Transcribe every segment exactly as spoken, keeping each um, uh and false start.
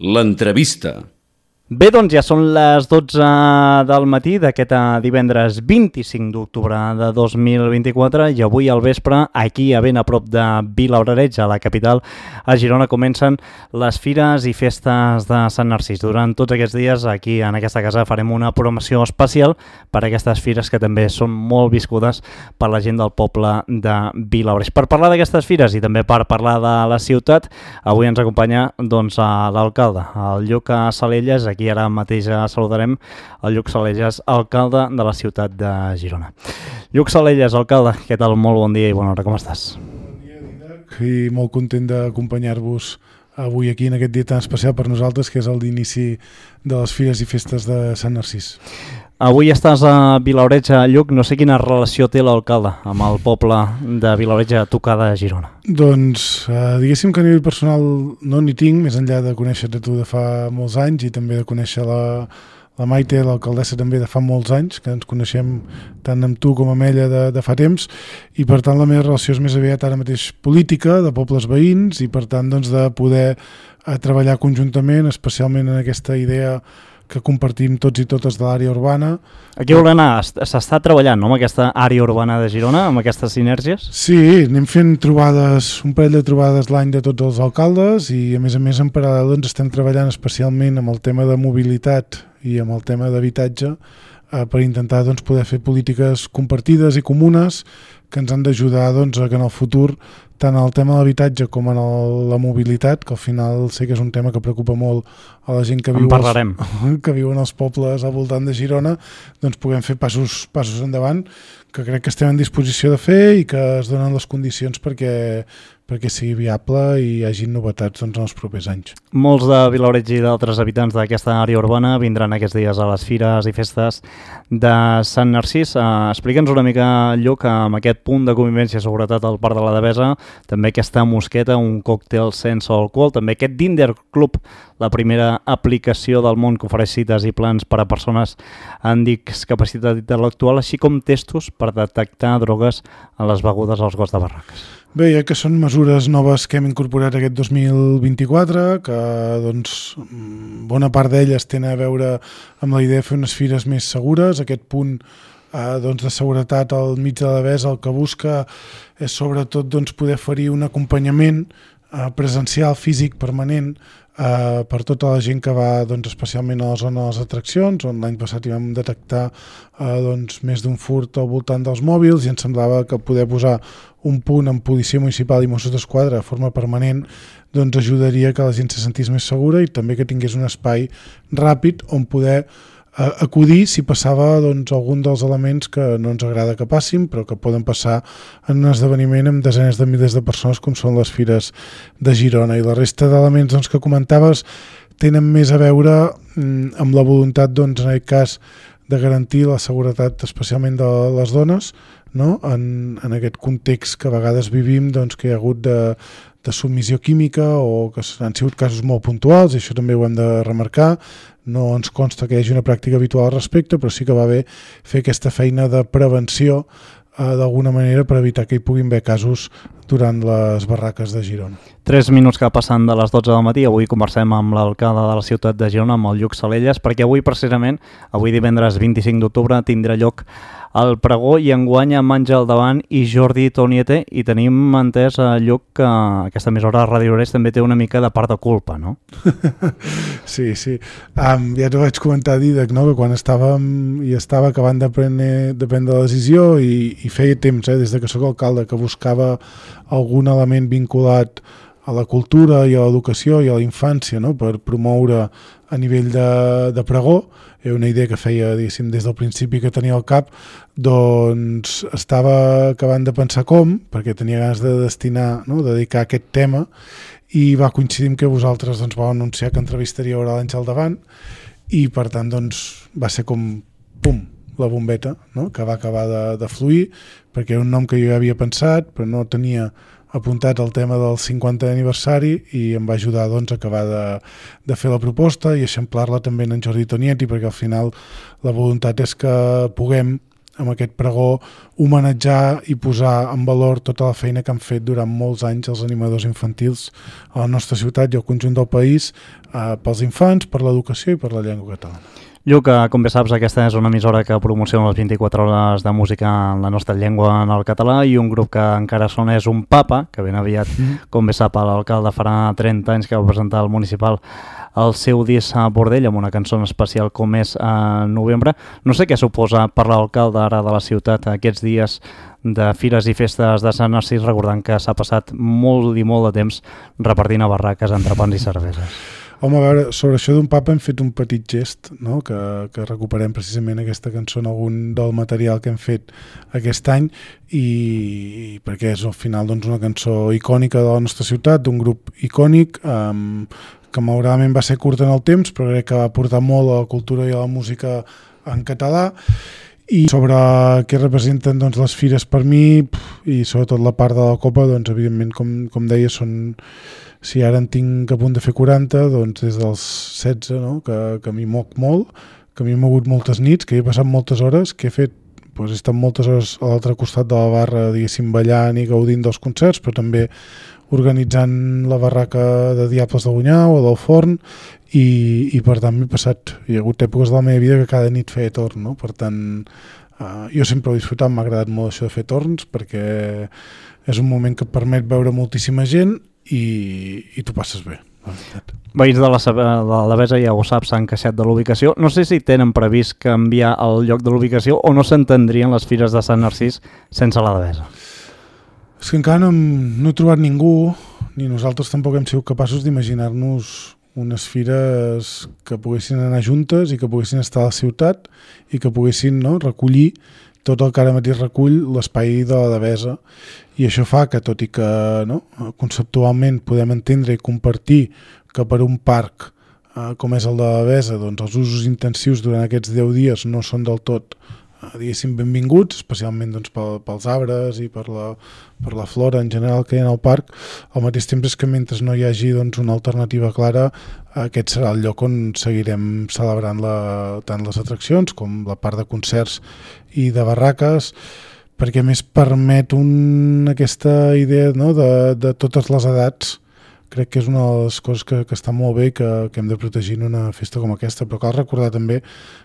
L'entrevista. Bé, doncs ja són les dotze del matí d'aquest divendres vint-i-cinc d'octubre de dos mil vint-i-quatre i avui al vespre, aquí a ben a prop de Vilablareix, a la capital, a Girona, comencen les fires i festes de Sant Narcís. Durant tots aquests dies, aquí en aquesta casa, farem una programació especial per a aquestes fires que també són molt viscudes per la gent del poble de Vilablareix. Per parlar d'aquestes fires i també per parlar de la ciutat, avui ens acompanya doncs, l'alcalde, el Lluc Salelles. Aquí ara mateix saludarem el Lluc Salelles, alcalde de la ciutat de Girona. Lluc Salelles, alcalde, què tal? Molt bon dia i bona hora, com estàs? Bon dia, Didac, i molt content d'acompanyar-vos avui aquí en aquest dia tan especial per nosaltres, que és el d'inici de les fires i festes de Sant Narcís. Avui estàs a Vilablareix, Lluc. No sé quina relació té l'alcalde amb el poble de Vilablareix a tocar de Girona. Doncs eh, diguéssim que a nivell personal no n'hi tinc, més enllà de conèixer-te tu de fa molts anys i també de conèixer la, la Maite, l'alcaldessa també de fa molts anys, que ens coneixem tant amb tu com amb ella de, de fa temps, i per tant la meva relació és més aviat ara mateix política, de pobles veïns, i per tant doncs, de poder eh, treballar conjuntament, especialment en aquesta idea que compartim tots i totes de l'àrea urbana. Aquí vol anar, s'està treballant, no?, amb aquesta àrea urbana de Girona, amb aquestes sinergies? Sí, anem fent trobades, un parell de trobades l'any de tots els alcaldes i a més a més en paral·lel doncs, estem treballant especialment amb el tema de mobilitat i amb el tema d'habitatge eh, per intentar doncs, poder fer polítiques compartides i comunes que ens han d'ajudar doncs, a que en el futur tant el tema de l'habitatge com en el, la mobilitat, que al final sé que és un tema que preocupa molt a la gent que viu, als, que viu en els pobles al voltant de Girona, doncs puguem fer passos, passos endavant, que crec que estem en disposició de fer i que es donen les condicions perquè, perquè sigui viable i hi hagi novetats doncs, en els propers anys. Molts de Vilablareix i d'altres habitants d'aquesta àrea urbana vindran aquests dies a les fires i festes de Sant Narcís. Uh, Explica'ns una mica, Lluc, amb aquest punt de convivència i seguretat al Parc de la Devesa, també aquesta mosqueta, un còctel sense alcohol, també aquest Dinder Club, la primera aplicació del món que ofereix cites i plans per a persones amb discapacitat intel·lectual, així com testos per detectar drogues en les begudes als gots de barraques. Bé, ja que són mesures noves que hem incorporat aquest dos mil vint-i-quatre, que doncs, bona part d'elles tenen a veure amb la idea de fer unes fires més segures. Aquest punt eh, doncs, de seguretat al mig de la Devesa el que busca és sobretot doncs, poder oferir un acompanyament eh, presencial, físic, permanent, Uh, per tota la gent que va doncs, especialment a la zona de les atraccions, on l'any passat hi vam detectar uh, doncs, més d'un furt al voltant dels mòbils i ens semblava que poder posar un punt en policia municipal i Mossos d'Esquadra de forma permanent doncs, ajudaria que la gent se sentís més segura i també que tingués un espai ràpid on poder uh, acudir si passava doncs, algun dels elements que no ens agrada que passin però que poden passar en un esdeveniment amb desenes de milers de persones com són les fires de Girona. I la resta d'elements doncs, que comentaves tenen més a veure mm, amb la voluntat, doncs, en aquest cas, de garantir la seguretat especialment de les dones, no? en, en aquest context que a vegades vivim, doncs, que hi ha hagut de, de submissió química o que han sigut casos molt puntuals, i això també ho hem de remarcar. No ens consta que hi hagi una pràctica habitual al respecte, però sí que va bé fer aquesta feina de prevenció eh, d'alguna manera per evitar que hi puguin haver casos durant les barraques de Girona. Tres minuts que passen de les dotze del matí. Avui conversem amb l'alcalde de la ciutat de Girona, amb el Lluc Salelles, perquè avui precisament, avui divendres vint-i-cinc d'octubre, tindrà lloc el pregó i enguany amb Àngel Davant i Jordi Toniete, i tenim entès, Lluc, que aquesta emissora de Ràdio Oreix també té una mica de part de culpa, no? Sí, sí. Um, ja t'ho vaig comentar, Didac, no? Que quan estàvem i estava acabant de prendre, de prendre la decisió i, i feia temps, eh, des de que sóc alcalde, que buscava algun element vinculat a la cultura i a l'educació i a la infància, no? Per promoure a nivell de, de pregó. Era una idea que feia, diguéssim, des del principi que tenia al cap, doncs estava acabant de pensar com, perquè tenia ganes de destinar, no? de dedicar aquest tema, i va coincidir amb que vosaltres doncs, vau anunciar que entrevistaria ara l'Àngel Davant, i per tant doncs, va ser com, pum, la bombeta, no? Que va acabar de, de fluir, perquè era un nom que jo havia pensat, però no tenia apuntat el tema del cinquantè aniversari i em va ajudar doncs, a acabar de, de fer la proposta i eixamplar-la també en Jordi Tonieti, perquè al final la voluntat és que puguem amb aquest pregó, homenatjar i posar en valor tota la feina que han fet durant molts anys els animadors infantils a la nostra ciutat i al conjunt del país, eh, pels infants, per l'educació i per la llengua catalana. Lluc, com bé saps, aquesta és una emissora que promociona les vint-i-quatre hores de música en la nostra llengua, en el català, i un grup que encara sona és un papa, que ben aviat, mm. com bé sap, l'alcalde farà trenta anys que va presentar al municipal el seu disc a Bordell amb una cançó especial com és a novembre. No sé què suposa per l'alcalde ara de la ciutat aquests dies de fires i festes de Sant Narcís, recordant que s'ha passat molt i molt de temps repartint a barraques, entrepans i cerveses. Home, a veure, sobre això d'un papa hem fet un petit gest, no? que, que recuperem precisament aquesta cançó en algun del material que hem fet aquest any, i, i perquè és al final doncs, una cançó icònica de la nostra ciutat, d'un grup icònic, um, que malauradament va ser curt en el temps, però crec que va aportar molt a la cultura i a la música en català. I sobre què representen doncs, les fires per mi, i sobretot la part de la Copa, doncs evidentment, com, com deia, són... Si ara en tinc a punt de fer quaranta, doncs des dels setze, no? que, que m'hi moc molt, que m'hi he mogut moltes nits, que he passat moltes hores, que he fet, doncs he estat moltes hores a l'altre costat de la barra, diguéssim, ballant i gaudint dels concerts, però també organitzant la barraca de Diables de Bunyau o del Forn, i, i per tant m'he passat, hi ha hagut èpoques de la meva vida que cada nit feia torn, no? Per tant, uh, jo sempre he disfrutat, m'ha agradat molt això de fer torns, perquè és un moment que et permet veure moltíssima gent, i, i tu passes bé. Veïns de la, de la Devesa, ja ho saps, s'han queixat de l'ubicació. No sé si tenen previst canviar el lloc de l'ubicació o no s'entendrien les fires de Sant Narcís sense la Devesa. És que encara no, no he trobat ningú, ni nosaltres tampoc hem sigut capaços d'imaginar-nos unes fires que poguessin anar juntes i que poguessin estar a la ciutat i que poguessin, no, recollir tot el que ara mateix recull l'espai de la Devesa, i això fa que, tot i que no, conceptualment podem entendre i compartir que per un parc eh, com és el de la Devesa, doncs els usos intensius durant aquests deu dies no són del tot eh, diguéssim benvinguts, especialment doncs, pel, pels arbres i per la, per la flora en general que hi ha al parc. Al mateix temps és que mentre no hi hagi doncs, una alternativa clara, aquest serà el lloc on seguirem celebrant la, tant les atraccions com la part de concerts i de barraques, perquè més permet un, aquesta idea, no, de, de totes les edats. Crec que és una de les coses que, que està molt bé i que, que hem de protegir en una festa com aquesta, però cal recordar també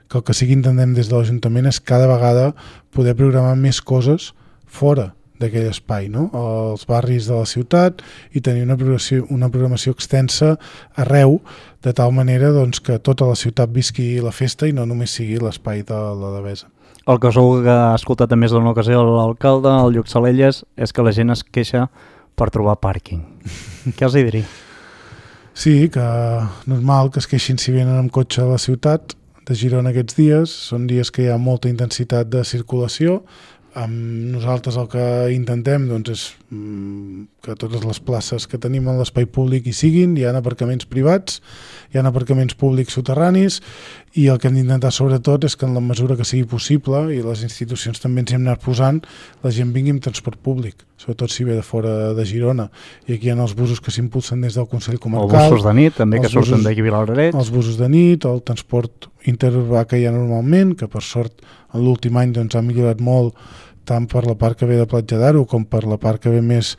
que el que sí que intentem des de l'Ajuntament és cada vegada poder programar més coses fora d'aquell espai, no? als barris de la ciutat, i tenir una programació, una programació extensa arreu, de tal manera doncs, que tota la ciutat visqui la festa i no només sigui l'espai de la Devesa. El que segur que ha escoltat en més d'una ocasió l'alcalde, el Lluc Salelles, és que la gent es queixa per trobar pàrquing. Què els hi diria? Sí, que normal que es queixin si venen amb cotxe a la ciutat de Girona aquests dies. Són dies que hi ha molta intensitat de circulació. Amb nosaltres el que intentem doncs, és que totes les places que tenim en l'espai públic hi siguin. Hi ha aparcaments privats, hi ha aparcaments públics soterranis, i el que hem d'intentar sobretot és que en la mesura que sigui possible, i les institucions també ens hi hem anat posant, la gent vingui amb transport públic, sobretot si ve de fora de Girona. I aquí hi ha els busos que s'impulsen des del Consell Comarcal. Els busos de nit, també, que surten d'aquí a Vilabrareig. Els busos de nit, el transport interurbà que hi ha normalment, que per sort en l'últim any doncs, ha millorat molt, tant per la part que ve de Platja d'Aro com per la part que ve més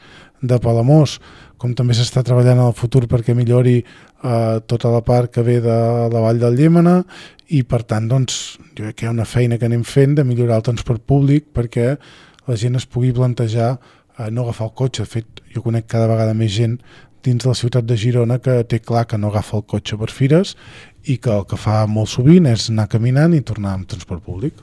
de Palamós, com també s'està treballant en el futur perquè millori eh, tota la part que ve de la Vall del Llémena, i per tant doncs, jo crec que hi ha una feina que anem fent de millorar el transport públic perquè la gent es pugui plantejar eh, no agafar el cotxe. De fet, jo conec cada vegada més gent dins de la ciutat de Girona que té clar que no agafa el cotxe per fires i que el que fa molt sovint és anar caminant i tornar amb transport públic.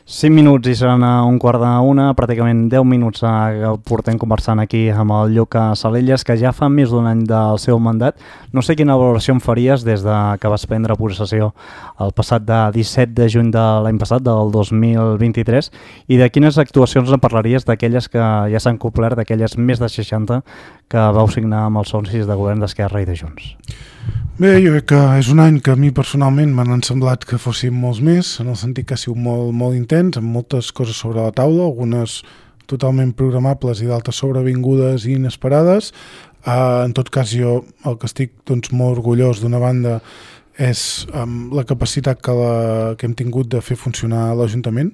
cinc minuts i seran a un quart d'una, pràcticament deu minuts que portem conversant aquí amb el Lluc Salelles, que ja fa més d'un any del seu mandat. No sé quina valoració em faries des de que vas prendre possessió el passat de disset de juny de l'any passat, del dos mil vint-i-tres, i de quines actuacions en parlaries d'aquelles que ja s'han complert, d'aquelles més de seixanta que vau signar amb els socis de govern d'Esquerra i de Junts. Bé, jo crec que és un any que a mi personalment m'han semblat que fossin molts més, en el sentit que ha sigut molt, molt intens, amb moltes coses sobre la taula, algunes totalment programables i d'altres sobrevingudes i inesperades. Uh, en tot cas, jo el que estic doncs, molt orgullós d'una banda és um, la capacitat que, la, que hem tingut de fer funcionar l'Ajuntament,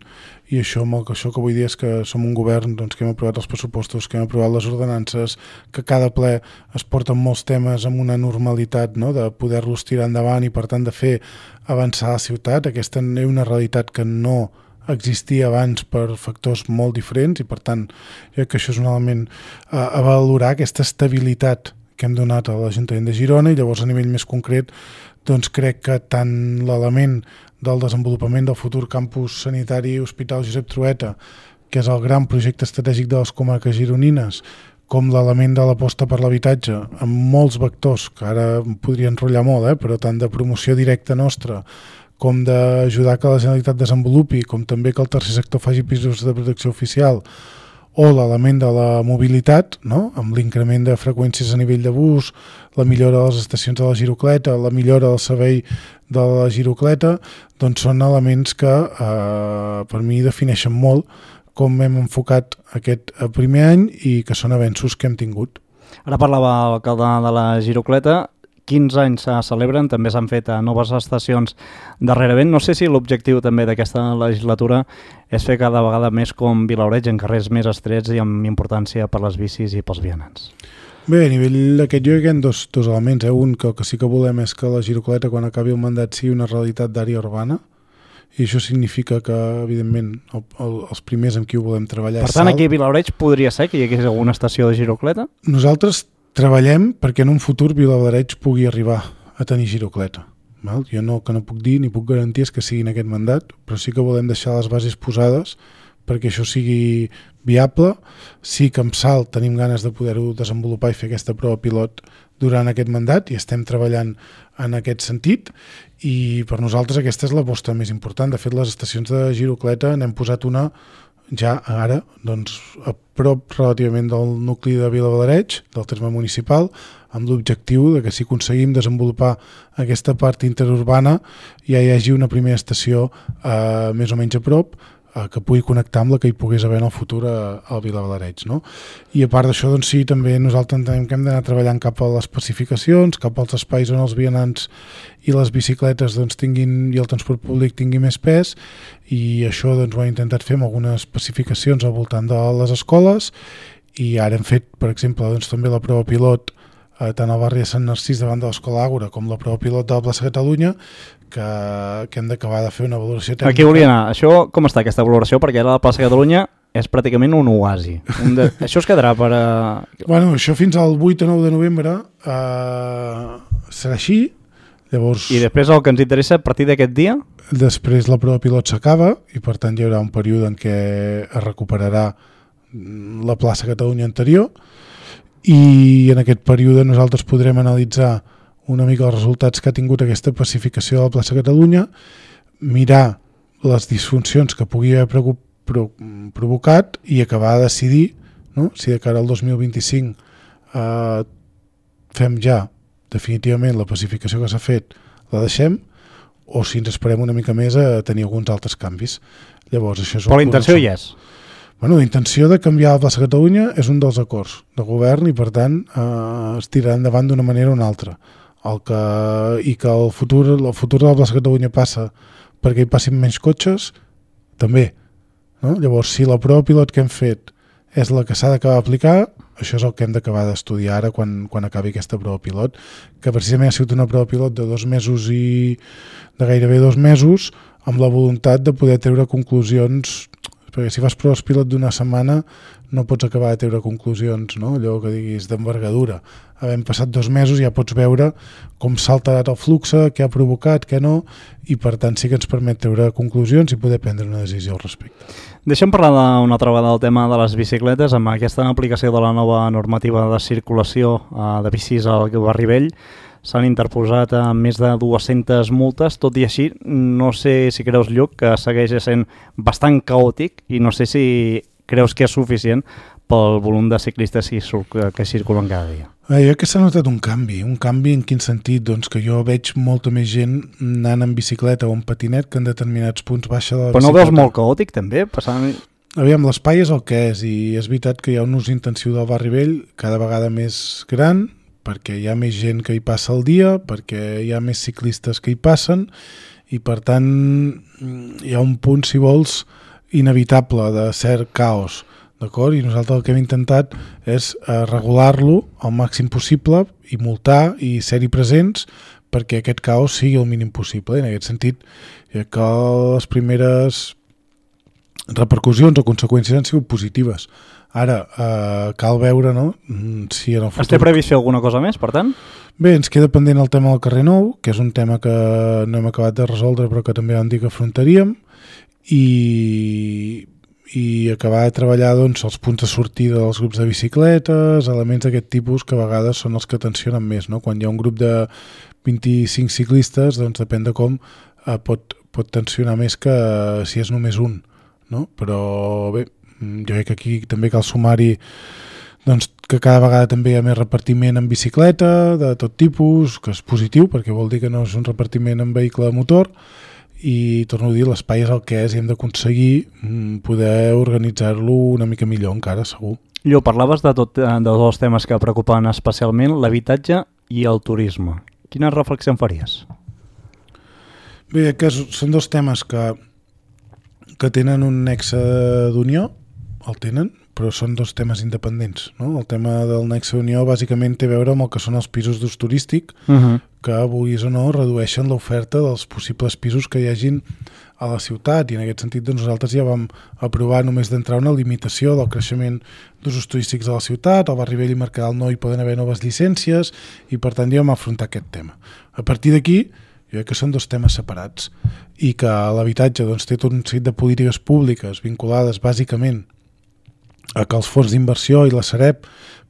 i això, amb el, això que vull dir és que som un govern doncs, que hem aprovat els pressupostos, que hem aprovat les ordenances, que cada ple es porten molts temes amb una normalitat, no?, de poder-los tirar endavant i per tant de fer avançar la ciutat. Aquesta és una realitat que no existia abans per factors molt diferents i per tant jo crec que això és un element a, a valorar, aquesta estabilitat que hem donat a l'Ajuntament de Girona. I llavors a nivell més concret doncs crec que tant l'element del desenvolupament del futur campus sanitari Hospital Josep Trueta, que és el gran projecte estratègic de les comarques gironines, com l'element de l'aposta per l'habitatge, amb molts vectors, que ara em podria enrotllar molt, eh? però tant de promoció directa nostra, com d'ajudar que la Generalitat desenvolupi, com també que el tercer sector faci pisos de protecció oficial, o l'element de la mobilitat, no?, amb l'increment de freqüències a nivell de bus, la millora de les estacions de la girocleta, la millora del servei de la girocleta, doncs són elements que eh, per mi defineixen molt com hem enfocat aquest primer any i que són avenços que hem tingut. Ara parlava l'alcalde de la girocleta, quinze anys se celebren, també s'han fet noves estacions darrerament. No sé si l'objectiu també d'aquesta legislatura és fer cada vegada més com Vilaoreig, en carrers més estrets i amb importància per les bicis i pels vianants. Bé, a nivell d'aquest jo hi ha dos, dos elements. Eh? Un, que el que sí que volem és que la girocleta, quan acabi el mandat, sigui una realitat d'àrea urbana, i això significa que, evidentment, el, el, els primers amb qui ho volem treballar... Per tant, aquí a Vilaoreig podria ser que hi hagués alguna estació de girocleta? Nosaltres treballem perquè en un futur Vilaoreig pugui arribar a tenir girocleta. Val? Jo no, que no puc dir ni puc garantir és que sigui en aquest mandat, però sí que volem deixar les bases posades perquè això sigui viable. Sí que amb Salt tenim ganes de poder-ho desenvolupar i fer aquesta prova pilot durant aquest mandat i estem treballant en aquest sentit, i per nosaltres aquesta és l'aposta més important. De fet, les estacions de girocleta n'hem posat una ja ara, doncs, a prop relativament del nucli de Vilaoreig, del terme municipal, amb l'objectiu de que si aconseguim desenvolupar aquesta part interurbana ja hi hagi una primera estació eh, més o menys a prop, eh, que pugui connectar amb la que hi pogués haver en el futur a, a Vilaoreig, no? I a part d'això, doncs sí, també nosaltres entenem que hem d'anar treballant cap a les especificacions, cap als espais on els vianants i les bicicletes doncs, tinguin, i el transport públic tingui més pes, i això doncs, ho hem intentat fer amb algunes especificacions al voltant de les escoles, i ara hem fet, per exemple, doncs, també la prova pilot eh, tant al barri de Sant Narcís davant de l'Escola Àgora com la prova pilot de la plaça Catalunya, que, que hem d'acabar de fer una valoració tècnica. Aquí volia anar. Això, com està aquesta valoració? Perquè ara la plaça Catalunya és pràcticament un oasi. Un de... Això es quedarà per... A... Bueno, això fins al vuit o nou de novembre eh, serà així. Llavors, I després el que ens interessa a partir d'aquest dia? Després la prova pilot s'acaba i per tant hi haurà un període en què es recuperarà la plaça Catalunya anterior, i en aquest període nosaltres podrem analitzar una mica els resultats que ha tingut aquesta pacificació de la plaça Catalunya, mirar les disfuncions que pugui haver pro pro provocat i acabar de decidir, no?, si de cara al dos mil vint-i-cinc eh, fem ja definitivament la pacificació que s'ha fet, la deixem, o si ens esperem una mica més a tenir alguns altres canvis. Llavors, això és Però la intenció hi és. Bueno, la intenció de canviar la plaça Catalunya és un dels acords de govern i, per tant, eh, es tirarà endavant d'una manera o una altra. El que, I que el futur, el futur de la plaça Catalunya passa perquè hi passin menys cotxes, també. No? Llavors, si la prova pilot que hem fet és la que s'ha d'acabar d'aplicar, això és el que hem d'acabar d'estudiar ara quan, quan acabi aquesta prova pilot, que precisament ha sigut una prova pilot de dos mesos i de gairebé dos mesos, amb la voluntat de poder treure conclusions, perquè si fas proves pilot d'una setmana no pots acabar de treure conclusions, no? Allò que diguis d'envergadura. Havent passat dos mesos ja pots veure com s'ha alterat el flux, què ha provocat, què no, i per tant sí que ens permet treure conclusions i poder prendre una decisió al respecte. Deixem parlar una altra vegada del tema de les bicicletes. Amb aquesta aplicació de la nova normativa de circulació eh, de bicis al barri vell s'han interposat a més de dues-centes multes. Tot i així, no sé si creus, Lluc, que segueix sent bastant caòtic, i no sé si creus que és suficient pel volum de ciclistes que, que circulen cada dia. Eh, jo crec que s'ha notat un canvi. Un canvi en quin sentit? Doncs que jo veig molta més gent anant en bicicleta o en patinet que en determinats punts baixa de la Però bicicleta. no veus molt caòtic, també? Passant... Aviam, l'espai és el que és, i és veritat que hi ha un ús intensiu del barri vell cada vegada més gran, perquè hi ha més gent que hi passa al dia, perquè hi ha més ciclistes que hi passen, i per tant hi ha un punt, si vols, inevitable de cert caos, d'acord? I nosaltres el que hem intentat és eh, regular-lo al màxim possible i multar i ser-hi presents perquè aquest caos sigui el mínim possible. I en aquest sentit, ja que les primeres repercussions o conseqüències han sigut positives. Ara, eh, cal veure, no?, si en el futur... Es té previst fer alguna cosa més, per tant? Bé, ens queda pendent el tema del carrer Nou, que és un tema que no hem acabat de resoldre però que també vam dir que afrontaríem, i, i acabar de treballar doncs, els punts de sortida dels grups de bicicletes, elements d'aquest tipus que a vegades són els que tensionen més, no? Quan hi ha un grup de vint-i-cinc ciclistes, doncs depèn de com eh, pot, pot tensionar més que si és només un, no? Però bé, jo crec que aquí també cal sumar-hi doncs, que cada vegada també hi ha més repartiment en bicicleta de tot tipus, que és positiu perquè vol dir que no és un repartiment en vehicle de motor, i torno a dir, l'espai és el que és i hem d'aconseguir poder organitzar-lo una mica millor encara, segur. Llo, parlaves de, tot, de dos temes que preocupen especialment, l'habitatge i el turisme. Quina reflexió en faries? Bé, que són dos temes que, que tenen un nexe d'unió, el tenen, però són dos temes independents, no? El tema del nexe d'unió bàsicament té a veure amb el que són els pisos d'ús turístic, uh-huh. que, vulguis o no, redueixen l'oferta dels possibles pisos que hi hagin a la ciutat, i en aquest sentit doncs, nosaltres ja vam aprovar només d'entrar una limitació del creixement d'usos turístics a la ciutat, al Barri Vell i Mercadal no hi poden haver noves llicències, i per tant ja vam afrontar aquest tema. A partir d'aquí, jo crec que són dos temes separats, i que l'habitatge doncs, té tot un seguit de polítiques públiques vinculades bàsicament a que els fons d'inversió i la Sareb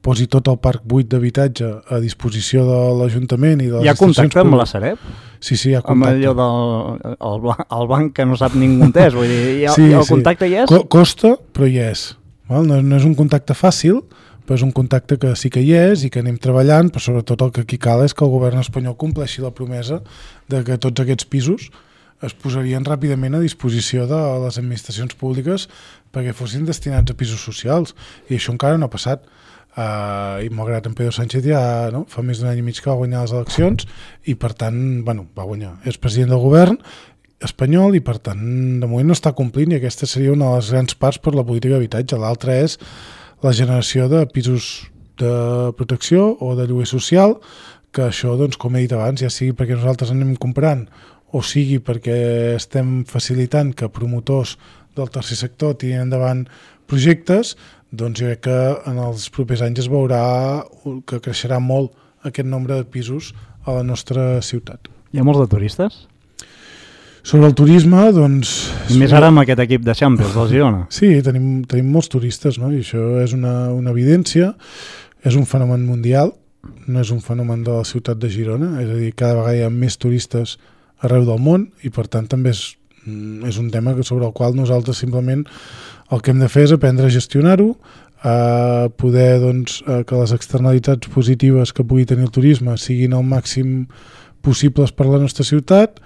posi tot el parc buit d'habitatge a disposició de l'Ajuntament i de les hi ha contacte amb la Sareb? Sí, sí, hi ha contacte. Amb allò del el, el banc que no sap ningú on és, vull dir, hi ha, sí, el contacte sí. hi és? Co costa, però hi és. Val? No, no és un contacte fàcil, però és un contacte que sí que hi és i que anem treballant, però sobretot el que aquí cal és que el govern espanyol compleixi la promesa de que tots aquests pisos es posarien ràpidament a disposició de les administracions públiques perquè fossin destinats a pisos socials, i això encara no ha passat. Uh, i malgrat en Pedro Sánchez ja no, fa més d'un any i mig que va guanyar les eleccions i per tant, bueno, va guanyar, és president del govern espanyol i per tant de moment no està complint, i aquesta seria una de les grans parts per la política d'habitatge. L'altra és la generació de pisos de protecció o de lloguer social, que això, doncs, com he dit abans, ja sigui perquè nosaltres anem comprant o sigui perquè estem facilitant que promotors del tercer sector tirin endavant projectes, doncs jo crec que en els propers anys es veurà que creixerà molt aquest nombre de pisos a la nostra ciutat. Hi ha molts de turistes? Sobre el turisme, doncs... I més ara amb aquest equip de Champions del Girona. Sí, tenim, tenim molts turistes, no? I això és una, una evidència, és un fenomen mundial, no és un fenomen de la ciutat de Girona, és a dir, cada vegada hi ha més turistes arreu del món i per tant també és, és un tema sobre el qual nosaltres simplement el que hem de fer és aprendre a gestionar-ho, a poder doncs, que les externalitats positives que pugui tenir el turisme siguin el màxim possibles per la nostra ciutat,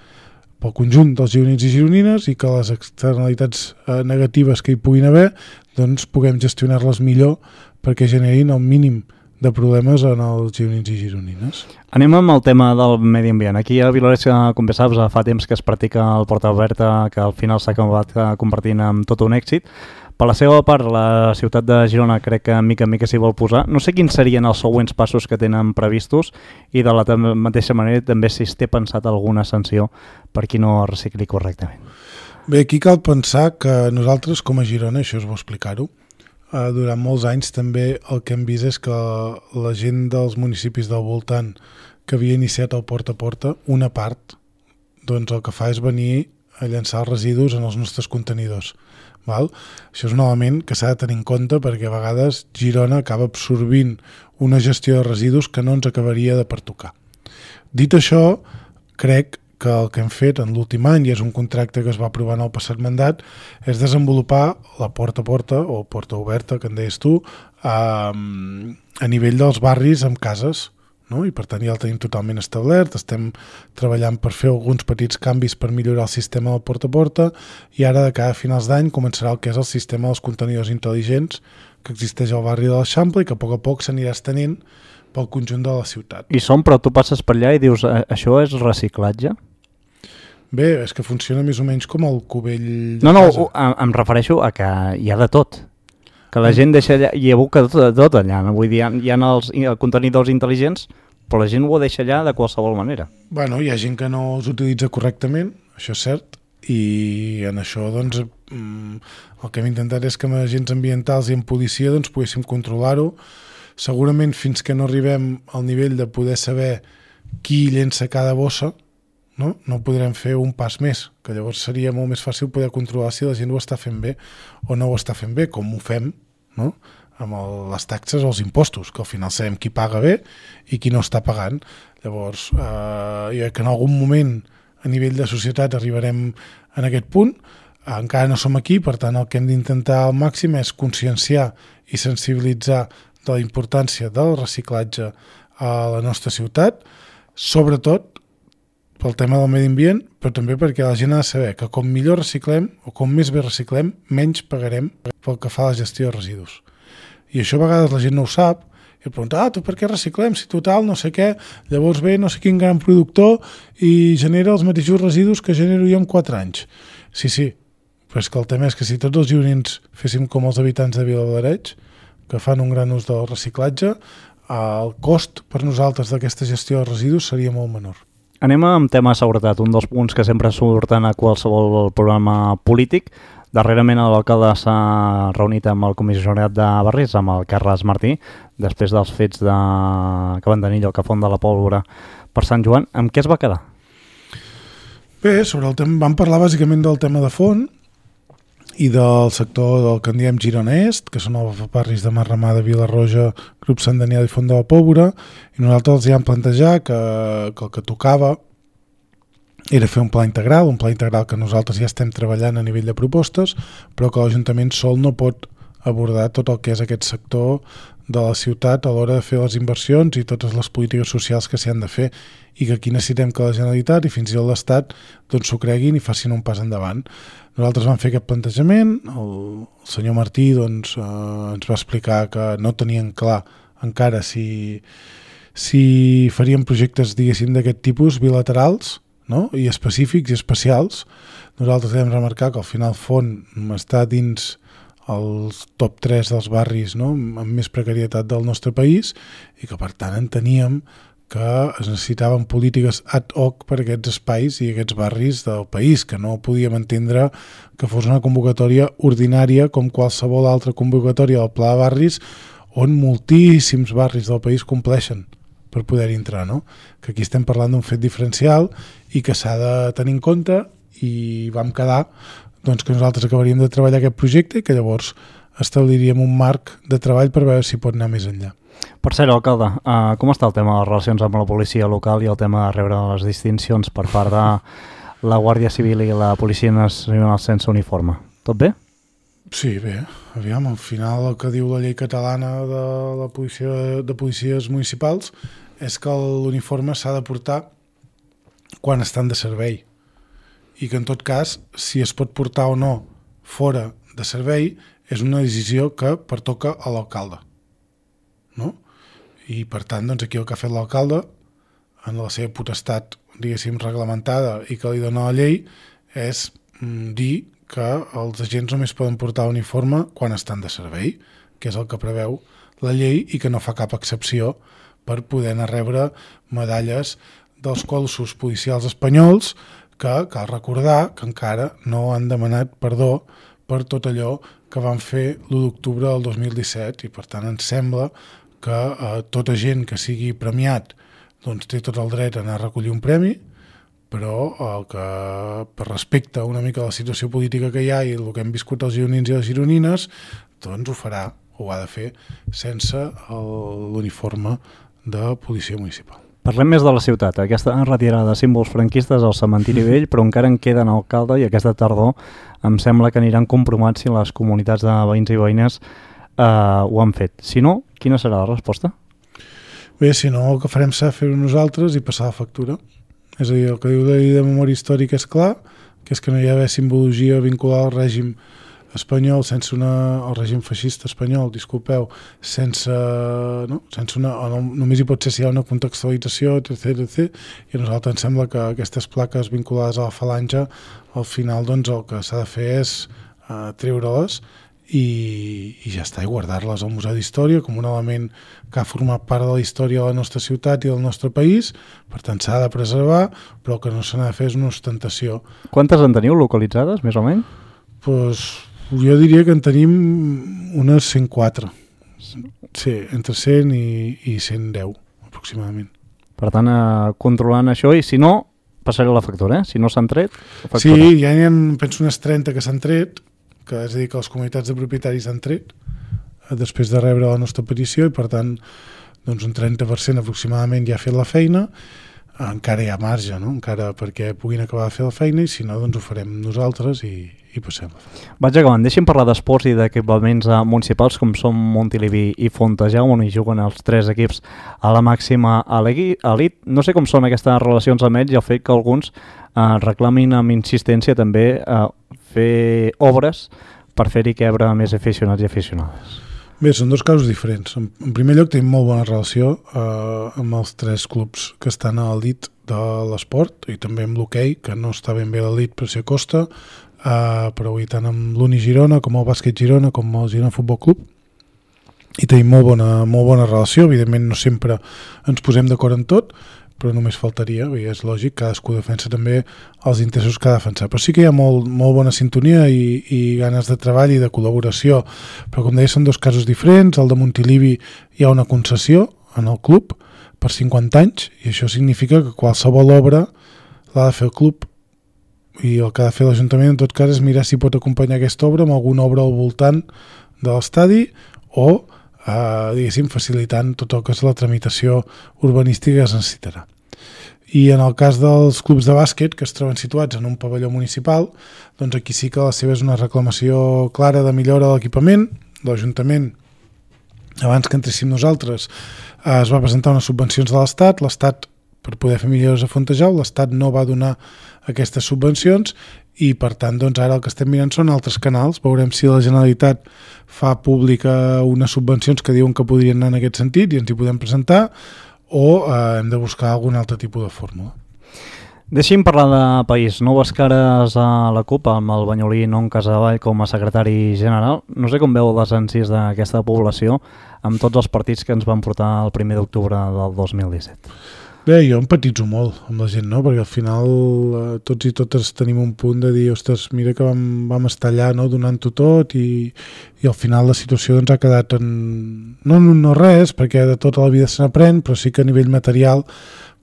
pel conjunt dels gironins i gironines, i que les externalitats negatives que hi puguin haver doncs puguem gestionar-les millor perquè generin el mínim de problemes en els gironins i gironines. Anem amb el tema del medi ambient. Aquí a Vilores, com bé saps, fa temps que es practica el porta oberta, que al final s'ha acabat convertint en tot un èxit. Per la seva part, la ciutat de Girona crec que mica en mica s'hi vol posar. No sé quins serien els següents passos que tenen previstos i de la mateixa manera també si es té pensat alguna sanció per qui no recicli correctament. Bé, aquí cal pensar que nosaltres com a Girona, això és bo explicar-ho, Uh, durant molts anys també el que hem vist és que la gent dels municipis del voltant que havia iniciat el porta a porta, una part, doncs el que fa és venir a llançar els residus en els nostres contenidors. Val? Això és un element que s'ha de tenir en compte perquè a vegades Girona acaba absorbint una gestió de residus que no ens acabaria de pertocar. Dit això, crec que el que hem fet en l'últim any, i és un contracte que es va aprovar en el passat mandat, és desenvolupar la porta a porta, o porta oberta, que en deies tu, a, a nivell dels barris amb cases, no? I per tant ja el tenim totalment establert, estem treballant per fer alguns petits canvis per millorar el sistema del porta a porta, i ara de cada finals d'any començarà el que és el sistema dels contenidors intel·ligents que existeix al barri de l'Eixample i que a poc a poc s'anirà estenent pel conjunt de la ciutat. I són, però tu passes per allà i dius, això és reciclatge? Bé, és que funciona més o menys com el cubell de no, no, casa. em, em refereixo a que hi ha de tot. Que la gent deixa allà, i aboca tot, de tot allà. No? Vull dir, hi ha, hi ha els, els contenidors intel·ligents, però la gent ho deixa allà de qualsevol manera. Bueno, hi ha gent que no els utilitza correctament, això és cert, i en això doncs el que hem intentat és que amb agents ambientals i amb policia doncs poguéssim controlar-ho. Segurament fins que no arribem al nivell de poder saber qui llença cada bossa, no, no podrem fer un pas més, que llavors seria molt més fàcil poder controlar si la gent ho està fent bé o no ho està fent bé, com ho fem, no? Amb el, les taxes o els impostos, que al final sabem qui paga bé i qui no està pagant. Llavors, eh, que en algun moment a nivell de societat arribarem en aquest punt, encara no som aquí, per tant el que hem d'intentar al màxim és conscienciar i sensibilitzar de la importància del reciclatge a la nostra ciutat, sobretot pel tema del medi ambient, però també perquè la gent ha de saber que com millor reciclem o com més bé reciclem, menys pagarem pel que fa a la gestió de residus. I això a vegades la gent no ho sap, i et pregunta, ah, tu per què reciclem? Si total, no sé què, llavors ve no sé quin gran productor i genera els mateixos residus que genero jo en quatre anys. Sí, sí, però és que el tema és que si tots els gironins féssim com els habitants de Viladecavalls, que fan un gran ús del reciclatge, el cost per nosaltres d'aquesta gestió de residus seria molt menor. Anem amb tema de seguretat, un dels punts que sempre surten a qualsevol programa polític. Darrerament l'alcalde s'ha reunit amb el comissariat de Barris, amb el Carles Martí, després dels fets de... que van tenir lloc a Font de la Pólvora per Sant Joan. Amb què es va quedar? Bé, sobre el tema, vam parlar bàsicament del tema de Font i del sector del que en diem Girona Est, que són els barris de Marramada, Vila-roja, Grup Sant Daniel i Font de la Pólvora, i nosaltres els hi vam plantejar que, que el que tocava era fer un pla integral, un pla integral que nosaltres ja estem treballant a nivell de propostes, però que l'Ajuntament sol no pot abordar tot el que és aquest sector de la ciutat a l'hora de fer les inversions i totes les polítiques socials que s'hi han de fer, i que aquí necessitem que la Generalitat i fins i tot l'Estat doncs s'ho creguin i facin un pas endavant. Nosaltres vam fer aquest plantejament, el, el senyor Martí doncs, eh, ens va explicar que no tenien clar encara si, si farien projectes diguéssim d'aquest tipus bilaterals, no? I específics i especials. Nosaltres hem remarcar que al final Font està dins els top tres dels barris, no? Amb més precarietat del nostre país, i que per tant enteníem que es necessitaven polítiques ad hoc per aquests espais i aquests barris del país, que no podíem entendre que fos una convocatòria ordinària com qualsevol altra convocatòria del Pla de Barris, on moltíssims barris del país compleixen per poder entrar, no? Que aquí estem parlant d'un fet diferencial i que s'ha de tenir en compte, i vam quedar doncs, que nosaltres acabaríem de treballar aquest projecte i que llavors establiríem un marc de treball per veure si pot anar més enllà. Per cert, alcalde, uh, com està el tema de les relacions amb la policia local i el tema de rebre les distincions per part de la Guàrdia Civil i la Policia Nacional sense uniforme? Tot bé? Sí, bé. Aviam, al final el que diu la llei catalana de la policia, de policies municipals és que l'uniforme s'ha de portar quan estan de servei, i que en tot cas, si es pot portar o no fora de servei, és una decisió que pertoca a l'alcalde, no? I per tant, doncs aquí el que ha fet l'alcalde, en la seva potestat, diguéssim, reglamentada i que li dona la llei, és mm, dir que els agents només poden portar uniforme quan estan de servei, que és el que preveu la llei i que no fa cap excepció per poder anar a rebre medalles dels cossos policials espanyols, que cal recordar que encara no han demanat perdó per tot allò que van fer l'u d'octubre del dos mil disset, i per tant ens sembla que eh, tot agent que sigui premiat doncs té tot el dret a anar a recollir un premi, però el que, per respecte una mica a la situació política que hi ha i el que hem viscut els gironins i les gironines, doncs ho farà, ho ha de fer sense l'uniforme de policia municipal. Parlem més de la ciutat. Aquesta retirada de símbols franquistes al cementiri vell, però encara en queden alcalde, i aquesta tardor em sembla que aniran compromats si les comunitats de veïns i veïnes eh, ho han fet. Si no, quina serà la resposta? Bé, si no, el que farem serà fer-ho nosaltres i passar la factura. És a dir, el que diu la llei de memòria històrica és clar, que és que no hi ha d'haver simbologia vinculada al règim espanyol, sense una, el règim feixista espanyol, disculpeu, sense, no? sense una, no, només hi pot ser si hi ha una contextualització, etcètera, etcètera, i a nosaltres ens sembla que aquestes plaques vinculades a la falange, al final doncs, el que s'ha de fer és uh, treure-les i, i ja està, i guardar-les al Museu d'Història com un element que ha format part de la història de la nostra ciutat i del nostre país, per tant s'ha de preservar, però que no se n'ha de fer és una ostentació. Quantes en teniu localitzades, més o menys? Pues, jo diria que en tenim unes cent quatre. Sí, entre cent i, i cent deu, aproximadament. Per tant, eh, controlant això, i si no, passaré la factura, eh? Si no s'han tret, factura. Sí, ja n'hi ha, penso, unes trenta que s'han tret, que és a dir, que les comunitats de propietaris han tret, després de rebre la nostra petició, i per tant, doncs un trenta per cent aproximadament ja ha fet la feina, encara hi ha marge, no? Encara perquè puguin acabar de fer la feina, i si no, doncs ho farem nosaltres i, i passem la feina. Vaig acabant, deixem parlar d'esports i d'equipaments municipals com són Montilivi i Fontejau, on hi juguen els tres equips a la màxima elit. No sé com són aquestes relacions amb ells i el fet que alguns eh, reclamin amb insistència també eh, fer obres per fer-hi cabre més aficionats i aficionades. Bé, són dos casos diferents. En, en primer lloc, tenim molt bona relació eh, amb els tres clubs que estan a l'elit de l'esport i també amb l'hoquei, que no està ben bé a l'elit però s'hi acosta, eh, però avui tant amb l'Uni Girona com el Bàsquet Girona com el Girona Futbol Club, i tenim molt bona, molt bona relació. Evidentment no sempre ens posem d'acord en tot, però només faltaria, i és lògic, cadascú defensa també els interessos que ha de defensar. Però sí que hi ha molt, molt bona sintonia i, i ganes de treball i de col·laboració. Però com deia, són dos casos diferents. El de Montilivi hi ha una concessió en el club per cinquanta anys, i això significa que qualsevol obra l'ha de fer el club, i el que ha de fer l'Ajuntament en tot cas és mirar si pot acompanyar aquesta obra amb alguna obra al voltant de l'estadi o Uh, diguéssim, facilitant tot el que és la tramitació urbanística que es necessitarà. I en el cas dels clubs de bàsquet que es troben situats en un pavelló municipal, doncs aquí sí que la seva és una reclamació clara de millora de l'equipament. L'Ajuntament, abans que entréssim nosaltres, uh, es va presentar unes subvencions de l'Estat, l'Estat per poder fer millores a Fontejau, l'Estat no va donar aquestes subvencions i per tant doncs ara el que estem mirant són altres canals. Veurem si la Generalitat fa pública unes subvencions que diuen que podrien anar en aquest sentit i ens hi podem presentar, o eh, hem de buscar algun altre tipus de fórmula. Deixi'm parlar de país. Noves cares a la CUP amb el banyolí Non Casavall com a secretari general. No sé com veu les ànsies d'aquesta població amb tots els partits que ens van portar el primer d'octubre del dos mil disset. Bé, jo empatitzo molt amb la gent, no? Perquè al final eh, tots i totes tenim un punt de dir, ostres, mira que vam, vam estar allà, no? Donant-ho tot, i, i al final la situació doncs, ha quedat en... no en un no res, perquè de tota la vida se n'aprèn, però sí que a nivell material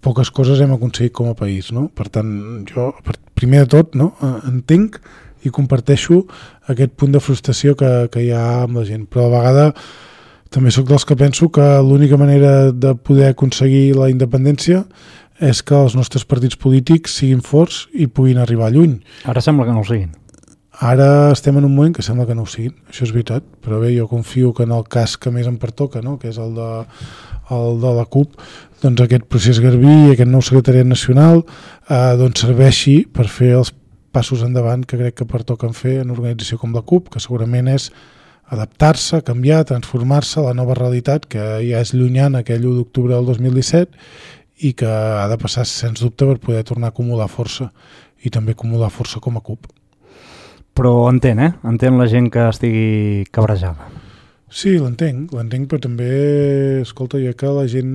poques coses hem aconseguit com a país, no? Per tant, jo, primer de tot, no? entenc i comparteixo aquest punt de frustració que, que hi ha amb la gent, però a la vegada també sóc dels que penso que l'única manera de poder aconseguir la independència és que els nostres partits polítics siguin forts i puguin arribar lluny. Ara sembla que no ho siguin. Ara estem en un moment que sembla que no ho siguin, això és veritat, però bé, jo confio que en el cas que més em pertoca, no? Que és el de, el de la CUP, doncs aquest procés Garbí i aquest nou secretariat nacional eh, doncs serveixi per fer els passos endavant que crec que pertoquen fer en una organització com la CUP, que segurament és adaptar-se, canviar, transformar-se a la nova realitat que ja és llunyana aquell u d'octubre del dos mil disset i que ha de passar sens dubte per poder tornar a acumular força i també acumular força com a CUP. Però entén, eh? Entén la gent que estigui cabrejada. Sí, l'entenc, l'entenc, però també, escolta, jo que la gent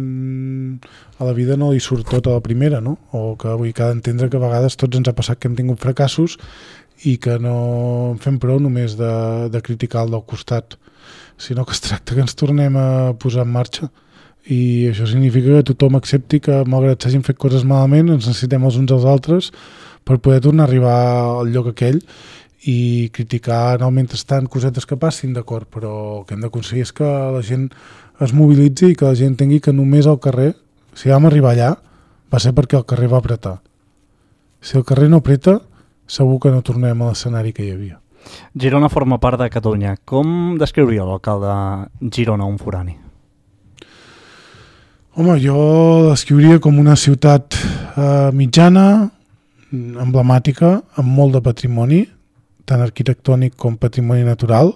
a la vida no li surt tot a la primera, no? O que avui cada entendre que a vegades tots ens ha passat que hem tingut fracassos i que no en fem prou només de, de criticar el del costat, sinó que es tracta que ens tornem a posar en marxa. I això significa que tothom accepti que, malgrat s'hagin fet coses malament, ens necessitem els uns als altres per poder tornar a arribar al lloc aquell i criticar en el mentrestant cosetes que passin, d'acord, però el que hem d'aconseguir és que la gent es mobilitzi i que la gent tingui que només al carrer, si vam arribar allà, va ser perquè el carrer va apretar. Si el carrer no apreta, segur que no tornem a l'escenari que hi havia. Girona forma part de Catalunya. Com descriuria l'alcalde Girona un forani? Home, jo descriuria com una ciutat eh, mitjana, emblemàtica, amb molt de patrimoni, tant arquitectònic com patrimoni natural,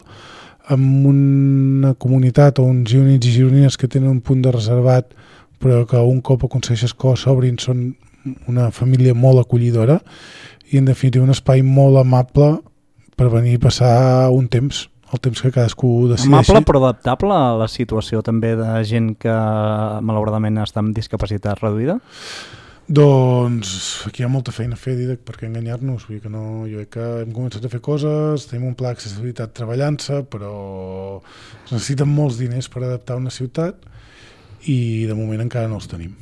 amb una comunitat o uns gironins i gironines que tenen un punt de reservat, però que un cop aconsegueixes que s'obrin són una família molt acollidora i en definitiva un espai molt amable per venir a passar un temps, el temps que cadascú decideixi. Amable però adaptable a la situació també de gent que malauradament està amb discapacitat reduïda? Doncs aquí hi ha molta feina a fer, Didac, perquè enganyar-nos. Vull dir que no, jo crec que hem començat a fer coses, tenim un pla d'accessibilitat treballant-se, però es necessiten molts diners per adaptar una ciutat i de moment encara no els tenim.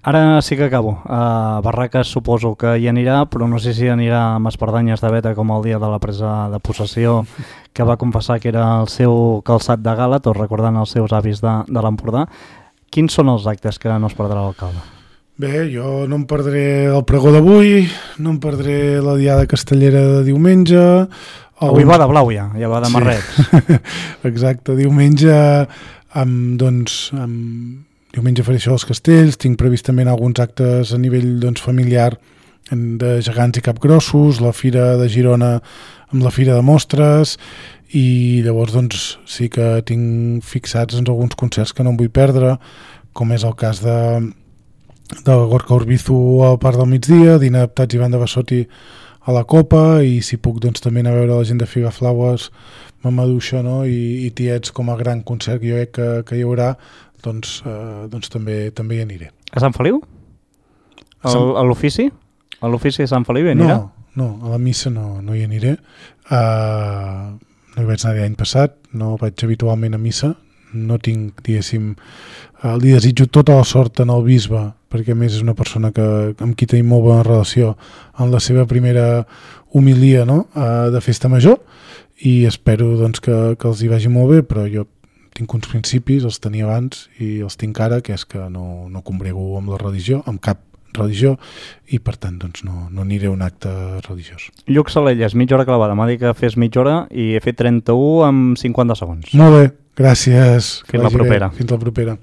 Ara sí que acabo. A Barraques suposo que hi anirà, però no sé si anirà amb espardanyes de veta com el dia de la presa de possessió, que va confessar que era el seu calçat de gala, tot recordant els seus avis de, de l'Empordà. Quins són els actes que no es perdrà l'alcalde? Bé, jo no em perdré el pregó d'avui, no em perdré la diada castellera de diumenge... Avui va de blau ja, ja va de marrets. Sí. Exacte, diumenge, amb, doncs, amb... diumenge faré això als castells, tinc previst també alguns actes a nivell doncs, familiar de gegants i capgrossos, la Fira de Girona amb la Fira de Mostres, i llavors doncs, sí que tinc fixats doncs, alguns concerts que no em vull perdre, com és el cas de... de Gorka Urbizu al Parc del Migdia, Dina Adaptats i Banda Bassotti a la Copa, i si puc doncs també anar a veure la gent de Figaflaues, Mamaduixa, no? I, i Tiets com a gran concert que jo crec que, que hi haurà, doncs, eh, doncs també, també hi aniré. A Sant Feliu? A, Sant... a l'ofici? A l'ofici de Sant Feliu hi anirà? No, no, a la missa no, no hi aniré. Uh, no hi vaig anar l'any passat, no vaig habitualment a missa, no tinc, diguéssim, uh, li desitjo tota la sort en el bisbe, perquè a més és una persona que, amb qui tenim molt bona relació en la seva primera homilia, no? uh, de festa major, i espero doncs, que, que els hi vagi molt bé, però jo tinc uns principis, els tenia abans i els tinc ara, que és que no, no combrego amb la religió, amb cap religió, i per tant doncs, no, no aniré a un acte religiós. Lluc Salelles, mitja hora clavada. M'ha dit que fes mitja hora i he fet trenta-u amb cinquanta segons. Molt bé, gràcies. Fins la propera. Bé. Fins la propera.